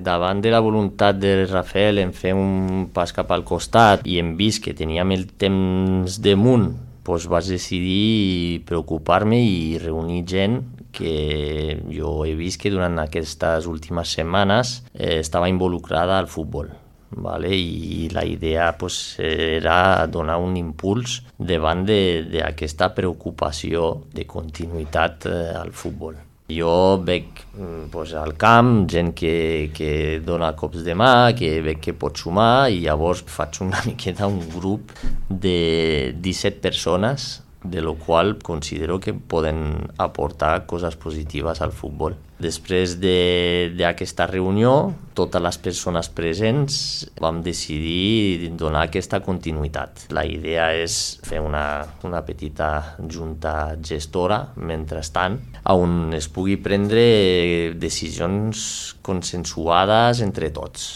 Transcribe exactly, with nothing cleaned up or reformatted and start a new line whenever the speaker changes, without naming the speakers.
Davant de la voluntat de Rafael en fer un pas cap al costat i hem vist que teníem el temps damunt, doncs vaig decidir preocupar-me i reunir gent que jo he vist que durant aquestes últimes setmanes eh, estava involucrada al futbol. Vale? I la idea pues, era donar un impuls davant d'aquesta preocupació de continuïtat eh, al futbol. Jo veig pues, al camp gent que, que dona cops de mà, que veig que pot sumar i llavors faig una miqueta un grup de disset persones, de lo qual considero que poden aportar coses positives al futbol. Després d'aquesta reunió, totes les persones presents vam decidir donar aquesta continuïtat. La idea és fer una, una petita junta gestora, mentrestant, on es pugui prendre decisions consensuades entre tots.